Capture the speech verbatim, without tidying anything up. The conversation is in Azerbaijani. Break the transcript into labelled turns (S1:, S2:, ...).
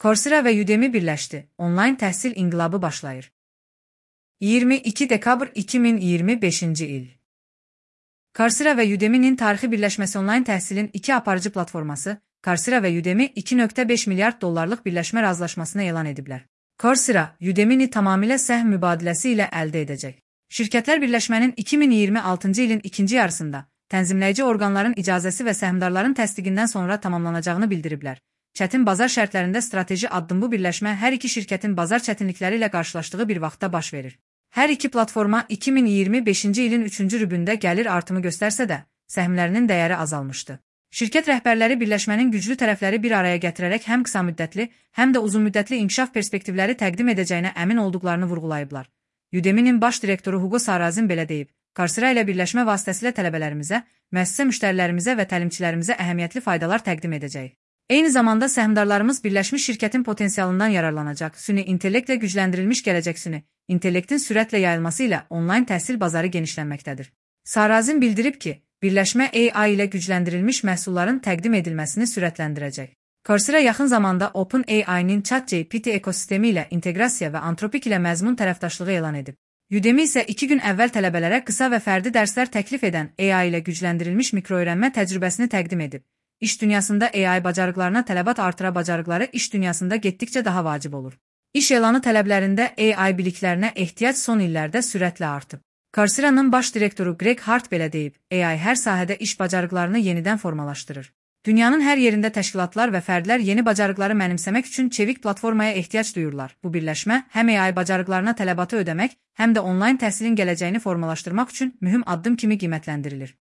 S1: Coursera və Udemy birləşdi. Onlayn təhsil inqilabı başlayır. iyirmi iki dekabr iki min iyirmi beşinci il. Coursera və Udemy'nin tarixi birləşməsi onlayn təhsilin iki aparıcı platforması, Coursera və Udemy iki nöqtə beş milyard dollarlıq birləşmə razılaşmasını elan ediblər. Coursera, Udemy'ni tamamilə səhm mübadiləsi ilə əldə edəcək. Şirkətlər birləşmənin iki min iyirmi altıncı ilin ikinci yarısında tənzimləyici orqanların icazəsi və səhmdarların təsdiqindən sonra tamamlanacağını bildiriblər. Çətin bazar şərtlərində strateji addım bu birləşmə hər iki şirkətin bazar çətinlikləri ilə qarşılaşdığı bir vaxtda baş verir. Hər iki platforma iki min iyirmi beşinci ilin üçüncü rübündə gəlir artımı göstərsə də, səhmlərinin dəyəri azalmışdı. Şirkət rəhbərləri birləşmənin güclü tərəfləri bir araya gətirərək həm qısa müddətli, həm də uzun müddətli inkişaf perspektivləri təqdim edəcəyinə əmin olduqlarını vurğulayıblar. Udemy'nin baş direktoru Hugo Sarrazin belə deyib: Coursera ilə birləşmə vasitəsilə tələbələrimizə, müəssisə müştərilərimizə və təlimçilərimizə əhəmiyyətli faydalar təqdim edəcək. Eyni zamanda səhmdarlarımız birləşmiş şirkətin potensialından yararlanacaq. Süni intellektlə gücləndirilmiş gələcək süni intellektin sürətlə yayılması ilə onlayn təhsil bazarı genişlənməkdədir. Sarrazin bildirib ki, birləşmə A I ilə gücləndirilmiş məhsulların təqdim edilməsini sürətləndirəcək. Coursera yaxın zamanda OpenAI-nin ChatGPT ekosistemi ilə inteqrasiya və Anthropic ilə məzmun tərəfdaşlığı elan edib. Udemy isə iki gün əvvəl tələbələrə qısa və fərdi dərslər təklif edən A I ilə gücləndirilmiş mikroöyrənmə təcrübəsini təqdim edib. İş dünyasında A I bacarıqlarına tələbat artıra bacarıqları iş dünyasında getdikcə daha vacib olur. İş elanı tələblərində A I biliklərinə ehtiyac son illərdə sürətlə artıb. Coursera'nın baş direktoru Greg Hart belə deyib: A I hər sahədə iş bacarıqlarını yenidən formalaşdırır. Dünyanın hər yerində təşkilatlar və fərdlər yeni bacarıqları mənimsəmək üçün çevik platformaya ehtiyac duyurlar. Bu birləşmə həm A I bacarıqlarına tələbatı ödəmək, həm də onlayn təhsilin gələcəyini formalaşdırmaq üçün mühüm addım kimi qiymətləndirilir.